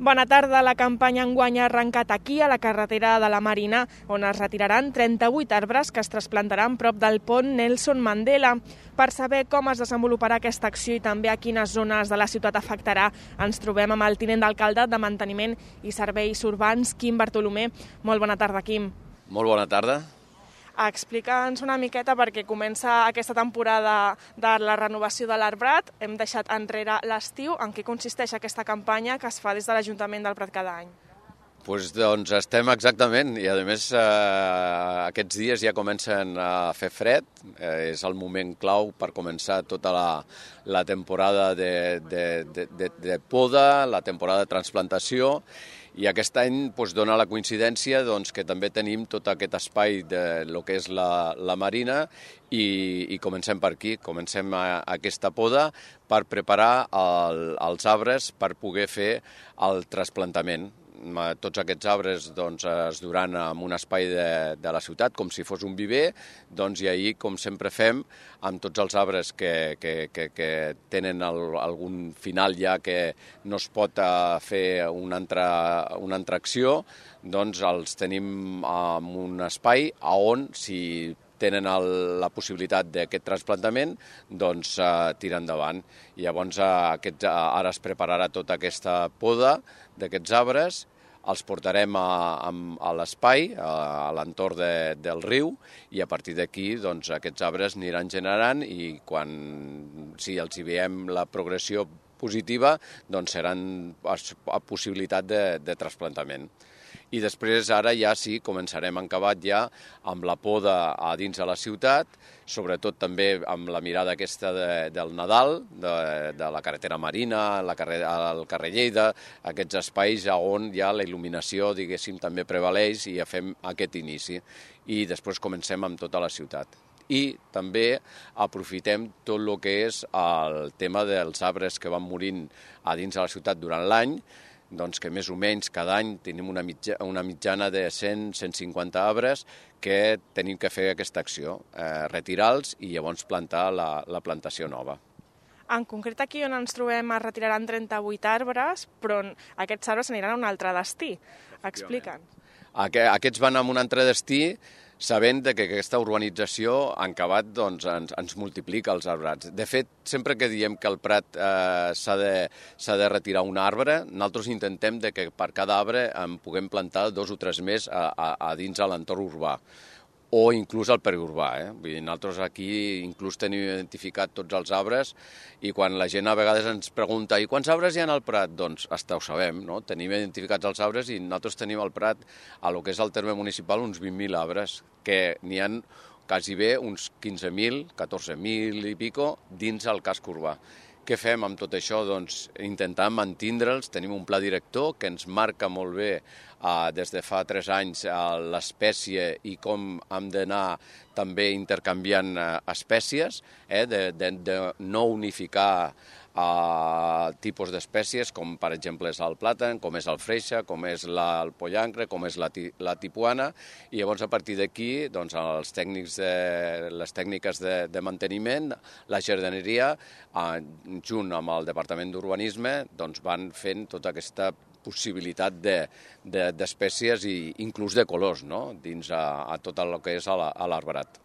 Bona tarda. La campanya enguany ha arrencat aquí, a la carretera de la Marina, on es retiraran 38 arbres que es trasplantaran prop del pont Nelson Mandela. Per saber com es desenvoluparà aquesta acció i també a quines zones de la ciutat afectarà, ens trobem amb el tinent d'alcalde de Manteniment i Serveis Urbans, Quim Bartolomé. Molt bona tarda, Quim. Molt bona tarda. Explica'ns una miqueta perquè comença aquesta temporada de la renovació de l'arbrat. Hem deixat enrere l'estiu. En què consisteix aquesta campanya que es fa des de l'Ajuntament del Prat cada any? Doncs estem exactament, i a més aquests dies ja comencen a fer fred, és el moment clau per començar tota la temporada de poda, la temporada de transplantació, i aquest any dona la coincidència que també tenim tot aquest espai de lo que és la Marina i comencem per aquí, comencem aquesta poda per preparar els arbres per poder fer el trasplantament. Tots aquests arbres es duran en un espai de la ciutat, com si fos un viver, i ahir, com sempre fem, amb tots els arbres que tenen algun final ja que no es pot fer una altra acció, els tenim en un espai on, si tenen la possibilitat d'aquest trasplantament, tirar endavant. I llavors ara es prepararà tota aquesta poda d'aquests arbres, els portarem a l'espai, a l'entorn del riu, i a partir d'aquí aquests arbres aniran generant i si els hi veiem la progressió positiva, seran a possibilitat de trasplantament. I després ara ja sí, començarem encabat ja amb la poda a dins de la ciutat, sobretot també amb la mirada aquesta del Nadal, de la carretera Marina, al carrer Lleida, aquests espais on ja la il·luminació, diguéssim, també prevaleix i ja fem aquest inici. I després comencem amb tota la ciutat. I també aprofitem tot el que és el tema dels arbres que van morint a dins de la ciutat durant l'any, que més o menys cada any tenim una mitjana de 100-150 arbres que tenim que fer aquesta acció, retirar-los i llavors plantar la plantació nova. En concret aquí on ens trobem es retiraran 38 arbres, però aquests arbres aniran a un altre destí. Explica'ns. Aquests van a un altre destí, sabent que aquesta urbanització en acabat ens multiplica els arbrats. De fet, sempre que diem que al Prat s'ha de retirar un arbre, nosaltres intentem que per cada arbre en puguem plantar 2 o 3 més a dins de l'entorn urbà, o inclús al periurbà. Vull dir, nosaltres aquí inclús tenim identificat tots els arbres i quan la gent a vegades ens pregunta «I quants arbres hi ha al Prat?» Doncs hasta ho sabem, no? Tenim identificats els arbres i nosaltres tenim al Prat, a lo que és el terme municipal, uns 20.000 arbres, que n'hi ha quasi bé uns 15.000, 14.000 i pico dins el casc urbà. Què fem amb tot això? Doncs intentar mantindre'ls, tenim un pla director que ens marca molt bé des de fa 3 anys l'espècie i com hem d'anar també intercanviant espècies, de no unificar tipus d'espècies, com per exemple és el plàtan, com és el freixe, com és el pollancre, com és la tipuana, i llavors a partir d'aquí les tècniques de manteniment, la jardineria, junt amb el Departament d'Urbanisme, van fent tota aquesta possibilitat d'espècies i inclús de colors dins a tot el que és l'arbrat.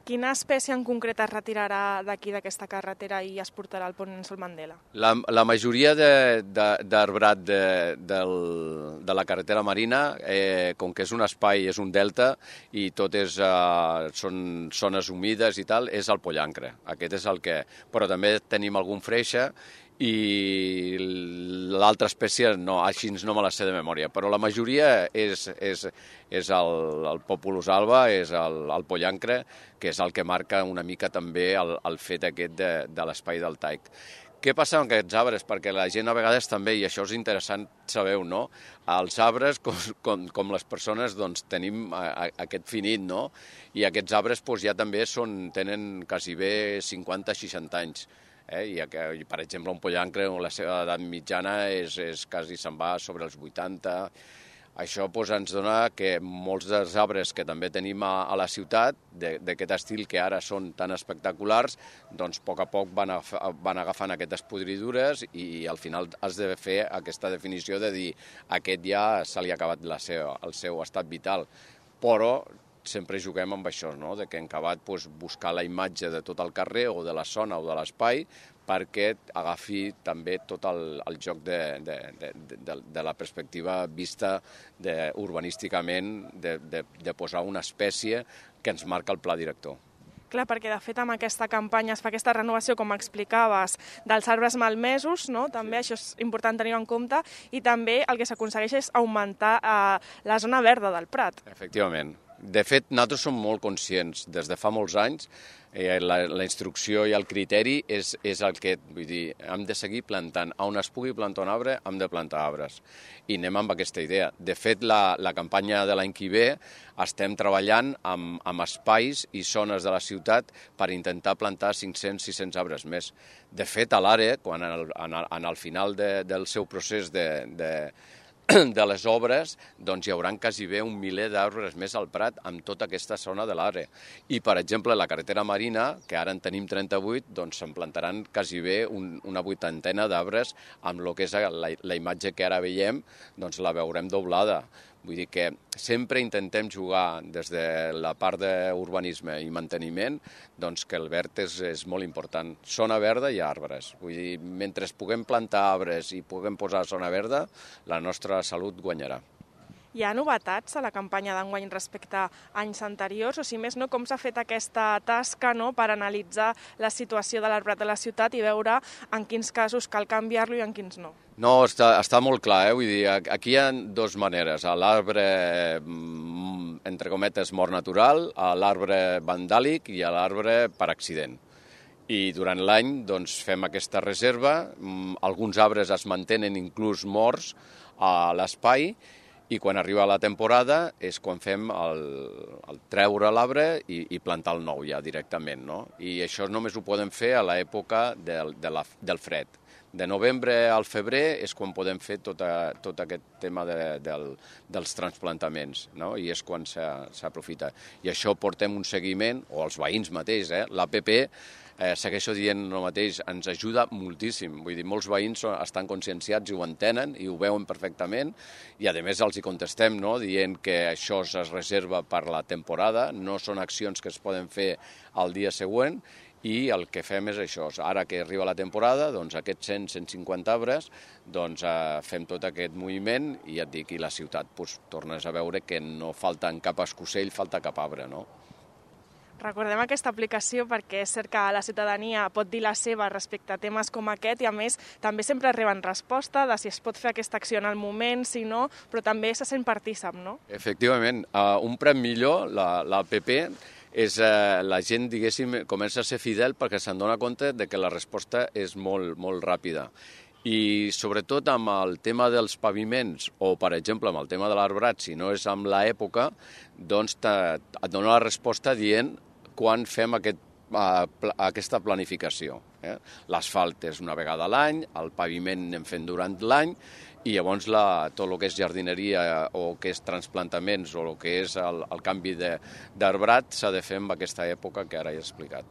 Quina espècie en concret es retirarà d'aquí d'aquesta carretera i es portarà al pont Nelson Mandela? La majoria d'arbrat de la carretera Marina, com que és un espai, és un delta i tot són zones humides i tal, és el pollancre. Aquest és el que... Però també tenim algun freixe i l'altra espècie no, així no me la sé de memòria, però la majoria és el Populus alba, és el pollancre, que és el que marca una mica també el fet aquest de l'espai del taic. Què passa amb aquests arbres? Perquè la gent a vegades també, i això és interessant saber-ho, no? Els arbres, com les persones, tenim aquest finit, no? I aquests arbres ja també tenen quasi bé 50-60 anys. I, per exemple, un pollancre, la seva edat mitjana quasi se'n va sobre els 80. Això ens dona que molts dels arbres que també tenim a la ciutat, d'aquest estil que ara són tan espectaculars, doncs a poc van agafant aquestes podridures i al final has de fer aquesta definició de dir aquest ja se li ha acabat el seu estat vital. Però sempre juguem amb això, no? De que hem acabat buscar la imatge de tot el carrer o de la zona o de l'espai perquè agafi també tot el joc de la perspectiva vista urbanísticament de posar una espècie que ens marca el pla director. Clar, perquè de fet amb aquesta campanya es fa aquesta renovació, com explicaves, dels arbres malmesos, no? També això és important tenir-ho en compte, i també el que s'aconsegueix és augmentar la zona verda del Prat. Efectivament. De fet, nosaltres som molt conscients, des de fa molts anys, la instrucció i el criteri és el que, vull dir, hem de seguir plantant. On es pugui plantar un arbre, hem de plantar arbres. I anem amb aquesta idea. De fet, la campanya de l'any que ve estem treballant amb espais i zones de la ciutat per intentar plantar 500-600 arbres més. De fet, a l'ARE, quan al final del seu procés de les obres, doncs hi haurà quasi bé 1 miler d'arbres més al Prat amb tota aquesta zona de l'ARE. I, per exemple, la carretera marina, que ara en tenim 38, doncs se'n plantaran quasi bé una 80 d'arbres amb el que és la imatge que ara veiem, doncs la veurem doblada. Vull dir que sempre intentem jugar des de la part d'urbanisme i manteniment, doncs que el verd és molt important. Zona verda i arbres. Vull dir, mentre puguem plantar arbres i puguem posar zona verda, la nostra salut guanyarà. Hi ha novetats a la campanya d'enguany respecte a anys anteriors, o si més no, com s'ha fet aquesta tasca, no?, per analitzar la situació de l'arbrat de la ciutat i veure en quins casos cal canviar-lo i en quins no? No, està molt clar, vull dir, aquí hi ha dues maneres, l'arbre, entre cometes, mort natural, l'arbre vandàlic i l'arbre per accident. I durant l'any doncs, fem aquesta reserva, alguns arbres es mantenen inclús morts a l'espai, i quan arriba la temporada és quan fem el treure l'arbre i plantar el nou ja directament, no? I això només ho podem fer a l'època del fred. De novembre al febrer és quan podem fer tot aquest tema dels transplantaments, no? I és quan s'aprofita. I això portem un seguiment, o els veïns mateix, l'APP, segueixo dient el mateix, ens ajuda moltíssim. Vull dir, molts veïns estan conscienciats i ho entenen i ho veuen perfectament i a més els hi contestem, no?, dient que això es reserva per la temporada, no són accions que es poden fer al dia següent i el que fem és això. Ara que arriba la temporada, doncs aquests 100-150 arbres, doncs fem tot aquest moviment i et dic, i la ciutat tornes a veure que no falta en cap escocell, falta cap arbre, no? Recordem aquesta aplicació perquè és cert que la ciutadania pot dir la seva respecte a temes com aquest i, a més, també sempre reben resposta de si es pot fer aquesta acció en el moment, si no, però també se sent partícip, no? Efectivament. Un prem millor, l'APP, és la gent, diguéssim, comença a ser fidel perquè se'n dona compte de que la resposta és molt, molt ràpida. I sobretot amb el tema dels paviments o, per exemple, amb el tema de l'arbrat, si no és amb l'època, doncs et dona la resposta dient quan fem aquesta planificació. L'asfalt és una vegada a l'any, el paviment anem fent durant l'any i llavors tot el que és jardineria o que és transplantaments o el que és el canvi d'arbrat s'ha de fer en aquesta època que ara he explicat.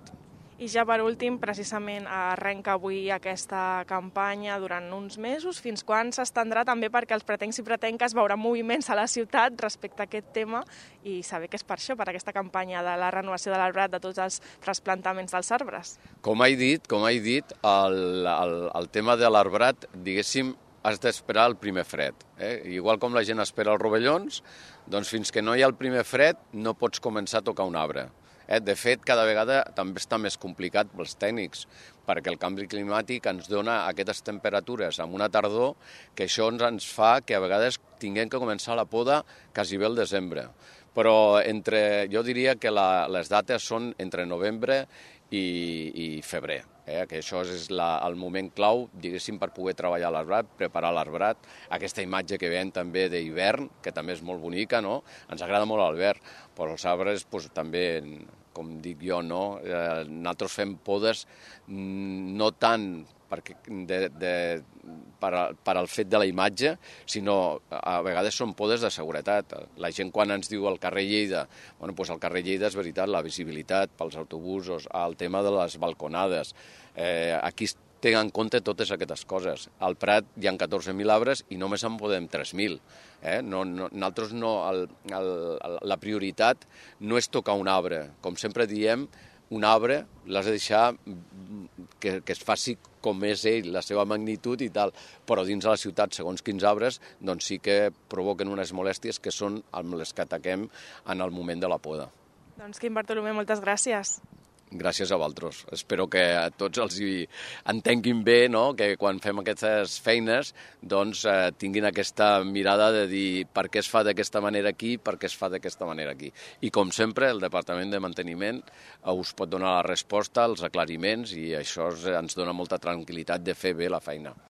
I ja per últim, precisament, arrenca avui aquesta campanya durant uns mesos. Fins quan s'estendrà també perquè els pretencs i pretenques veuran moviments a la ciutat respecte a aquest tema i saber que és per això, per aquesta campanya de la renovació de l'arbrat, de tots els trasplantaments dels arbres. Com he dit, el tema de l'arbrat, diguéssim, has d'esperar el primer fred. Igual com la gent espera els rovellons, doncs fins que no hi ha el primer fred no pots començar a tocar un arbre. De fet, cada vegada també està més complicat pels tècnics, perquè el canvi climàtic ens dona aquestes temperatures amb una tardor que això ens fa que a vegades tinguem que començar la poda quasi bé al desembre. Però jo diria que les dates són entre novembre i febrer, que això és el moment clau, diguéssim, per poder treballar l'arbrat, preparar l'arbrat, aquesta imatge que veiem també d'hivern, que també és molt bonica, no? Ens agrada molt el verd, però els arbres també, com dic jo, no? Nosaltres fem podes no tant per al fet de la imatge, sinó a vegades són podes de seguretat. La gent quan ens diu al carrer Lleida, bueno, doncs al carrer Lleida és veritat, la visibilitat pels autobusos, el tema de les balconades, aquí es tenen en compte totes aquestes coses. Al Prat hi ha 14.000 arbres i només en podem 3.000. Nosaltres la prioritat no és tocar un arbre. Com sempre diem, un arbre l'has de deixar que es faci com és ell, la seva magnitud i tal, però dins de la ciutat, segons quins arbres, doncs sí que provoquen unes molèsties que són amb les que ataquem en el moment de la poda. Doncs Quim Bartolomé, moltes gràcies. Gràcies a vosaltres. Espero que a tots els entenguin bé, no? Que quan fem aquestes feines doncs, tinguin aquesta mirada de dir per què es fa d'aquesta manera aquí, per què es fa d'aquesta manera aquí. I com sempre, el Departament de Manteniment us pot donar la resposta, els aclariments, i això ens dona molta tranquil·litat de fer bé la feina.